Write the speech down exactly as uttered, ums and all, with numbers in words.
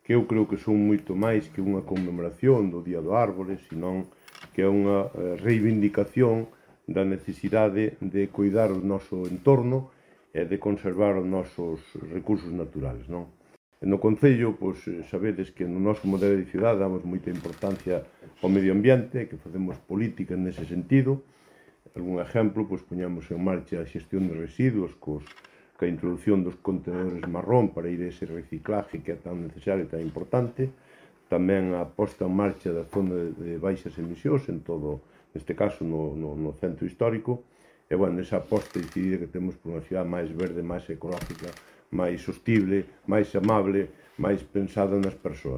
que eu creo que son moito máis que unha conmemoración do Día do Árbore, senón que é unha reivindicación da necesidade de cuidar o noso entorno e de conservar os nosos recursos naturales, non? E no Concello, pois, sabedes que no noso modelo de cidade damos moita importancia ao medio ambiente, que facemos políticas nese sentido. Algún exemplo, pois, poñamos en marcha a xestión de residuos cos que a introducción dos contenedores marrón para ir a ese reciclaje que é tan necesario e tan importante, tamén a posta en marcha da zona de baixas emisións en todo, neste caso no, no, no centro histórico, e, bueno, esa aposta decidida que temos por unha cidade máis verde, máis ecológica, máis sostible, máis amable, máis pensada nas persoas.